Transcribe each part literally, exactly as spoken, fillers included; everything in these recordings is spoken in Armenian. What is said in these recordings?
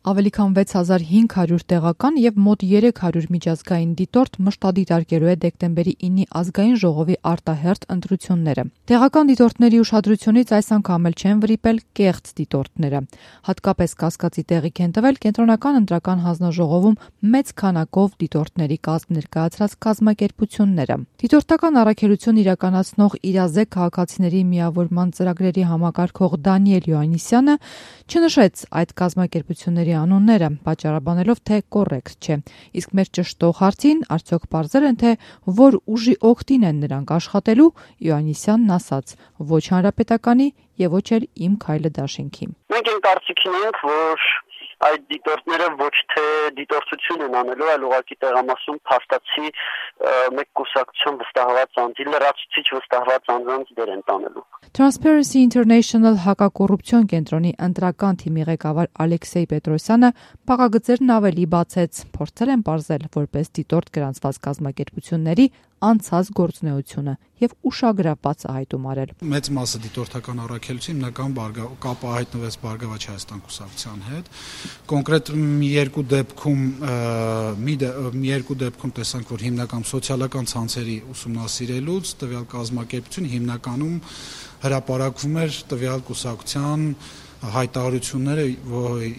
Ավելի քան վեց հազար հինգ հարյուր տեղական եւ մոտ երեք հարյուր միջազգային դիտորդ մշտադիտարկելու է դեկտեմբերի ինի ազգային ժողովի արտահերթ ընտրությունները։ Տեղական դիտորդների ուշադրությունից այս անգամ էլ չեն վրիպել կեղծ դիտորդները։ Հատկապես կասկածի տեղիք են տվել կենտրոնական ընտրական հանձնաժողովում մեծ քանակով դիտորդների կազմ ներկայացրած կազմակերպությունները։ Դիտորդական առաքելություն իրականացնող իրազեկ քաղաքացիների միավորման ծրագրերի համակարգող Դանիել Յոաննիսյանը չնշեց այդ կազմակերպությունների անունները, պատճառաբանելով, թե կոռեկտ չէ։ Իսկ մեր ճշտող հարցին արդյոք պարզել են, թե որ ուժի օգտին են նրանք աշխատելու, Յոաննիսյանն ասաց. ոչ հանրապետականի եւ ոչ էլ Իմ քայլը դաշինքի։ Մենք այն կարծիքին ենք, որ այդ դիտորդները ոչ թե դիտորդություն են անելու, այլ ուղղակի տեղամասում փաստացի մեկ կուսակցություն վստահված անձի, լրացուցիչ վստահված անձանց դեր են տանելու։ Transparency International հակակոռուպցիոն կենտրոնի ընտրական թիմի ղեկավար Ալեքսեյ Պետրոսյանը փակագծերն ավելի բացեց, փորձել են պարզել որպես դիտորդ գրանցված կազմակերպությունների անցած գործունեությունը եւ ուշագրավ բացահայտում արել։ Մեծ մասը դիտորդական առաքելություն հիմնական կապը հայտնվեց Բարգավաճ Հայաստան կուսակցության հետ։ Կոնկրետ մի երկու դեպքում մի երկու դեպքում տեսանք, որ հիմնական սոցիալական ցանցերի ուսումնասիրելուց տվյալ կազմակերպությունը հիմնականում հրապարակվում էր տվյալ կուսակցության հայտարարությունները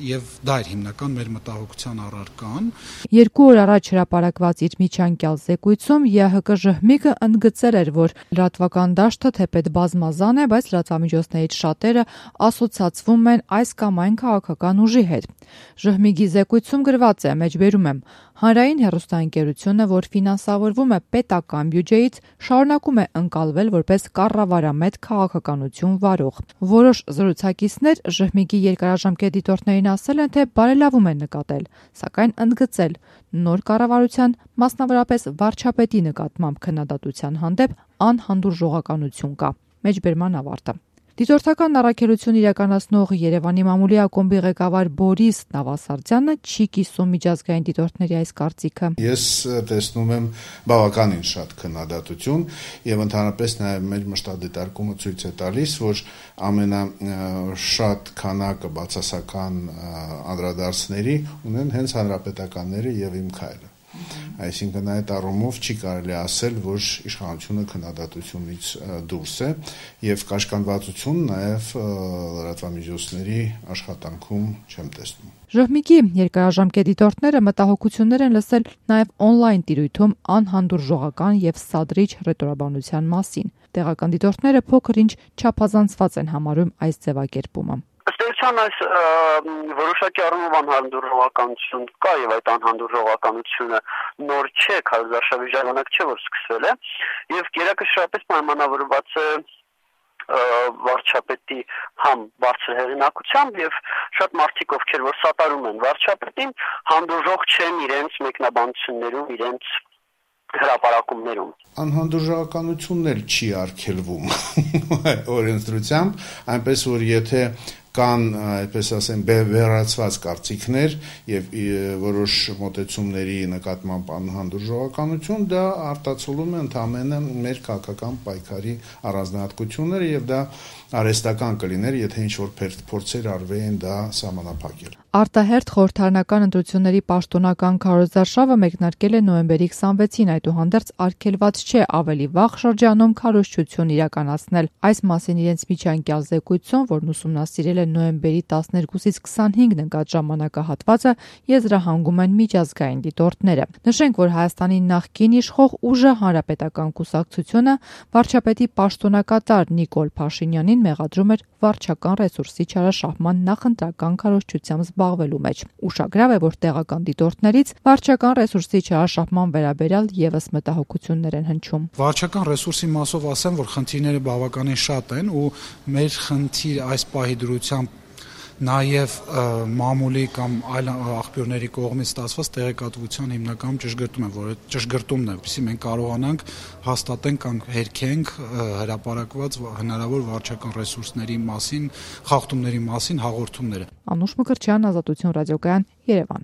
եւ դա էր հիմնական մեր մտահոգության առարկան։ Երկու օր առաջ հրապարակված իր միջանկյալ զեկույցում ԵՀԿ-ԺՀՄԻԿ-ը ընդգծել էր, որ լրատվական դաշտը թեպետ բազմազան է, բայց լրատվամիջոցներից շատերը ասոցացվում են այս կամ այն քաղաքական ուժի հետ։ ԺՀՄԻԳ-ի զեկույցում գրված է, մեջբերում եմ. հանրային հեռուստաընկերությունը, որ ֆինանսավորվում է պետական բյուջեից, շարունակում է ընկալվել որպես կառավարամետ քաղաքականություն վարող։ Որոշ զրուցակիցներ ԺՀՄԻԳ-ի երկարաժամկետ դիտորդներին ասել են, թե բարելավում են նկատել, սակայն ընդգծել նոր կառավարության, մասնավորապես վարչապետի նկատմամբ քննադատության հանդեպ անհանդուրժողականություն կա։ Մեջբերման ավարտը։ Դիտորդական առաքելություն իրականացնող Երևանի մամուլի ակումբի ղեկավար Բորիս Նավասարդյանը չի կիսում միջազգային դիտորդների այս կարծիքը։ Ես տեսնում եմ բավականին շատ քննադատություն եւ ընդհանրապես նաեւ մեր մշտադիտարկումը ցույց է տալիս, որ ամենաշատ քանակը բացասական անդրադարձների ունեն հենց հանրապետականները եւ Իմ քայլը։ Այսինքն այդ առումով չի կարելի ասել, որ իշխանությունը քննադատությունից դուրս է եւ կաշկանդվածություն նաեւ լրատվամիջոցների աշխատանքում չեմ տեսնում։ ԺՀՄԻԳ-ի երկարաժամկետ դիտորդները մտահոգություններ են լսել նաեւ օնլայն տիրույթում անհանդուրժողական եւ սադրիչ հռետորաբանության մասին։ Տեղական դիտորդները փոքր-ինչ չափազանցված են համարում այս ձևակերպումը։ Այս որոշակի առումով անհանդուրժողականություն կա եւ այդ անհանդուրժողականությունը նոր չէ, քարոզարշավի ժամանակ չէ, որ սկսվել է եւ գերակշռապես պայմանավորված է վարչապետի համ բարձր հեղինակությամբ եւ շատ մարդիկ, ովքեր որ սատարում են վարչապետին, հանդուրժող չեն իրենց մեկնաբանություններում, իրենց հրապարակումներում։ Անհանդուրժողականությունն էլ չի արգելվում օրենսդրությամբ, այնպես որ եթե կան, այդպես ասեմ, վերացված կարծիքներ եւ որոշ մոտեցումների նկատմամբ անհանդուրժողականություն, դա արտացոլում է ընդամենը մեր քաղաքական պայքարի առանձնահատկությունները եւ դա արհեստական կլիներ, եթե ինչ-որ փորձեր արվեին դա սահմանափակել։ Արտահերթ խորհրդարանական ընտրությունների պաշտոնական քարոզարշավը մեկնարկել է նոյեմբերի քսանվեցին, այդուհանդերձ արգելված չէ ավելի վաղ շրջանում քարոզչություն իրականացնել։ Այս մասին իրենց միջանկյալ զեկույցում, որն ուսումնասիրել է նոյեմբերի տասներկուսից քսանհինգն ընկած ժամանակահատվածը, եզրահանգում են միջազգային դիտորդները։ Նշենք, որ Հայաստանի նախկին իշխող ուժը Հանրապետական կուսակցությունը վարչապետի պաշտոնակատար Նիկոլ Փաշինյանին մեղադրում էր վարչական ռեսուրսի չարաշահման նախընտրական քարոզչությամբ զբաղվելու մեջ։ Ուշագրավ է, որ տեղական դիտորդներից վարչական ռեսուրսի չարաշահման վերաբերյալ եւս մտահոգություններ են հնչում։ Վարչական ռեսուրսի մասով ասեմ, որ խնդիրները բավականին շատ են ու մեր խնդիր այս պահի դրությամբ նաև մամուլի կամ այլ աղբյուրների կողմից ստացված տեղեկատվության հիմնական ճշգրտում է, որը ճշգրտումն է, որպեսզի մենք կարողանանք հաստատենք կամ հերքենք հրապարակված հնարավոր վարչական ռեսուրսների մասին, խախտումների մասին հաղորդումները։ Անուշ Մկրտչյան, Ազատություն ռադիոկայան, Երևան։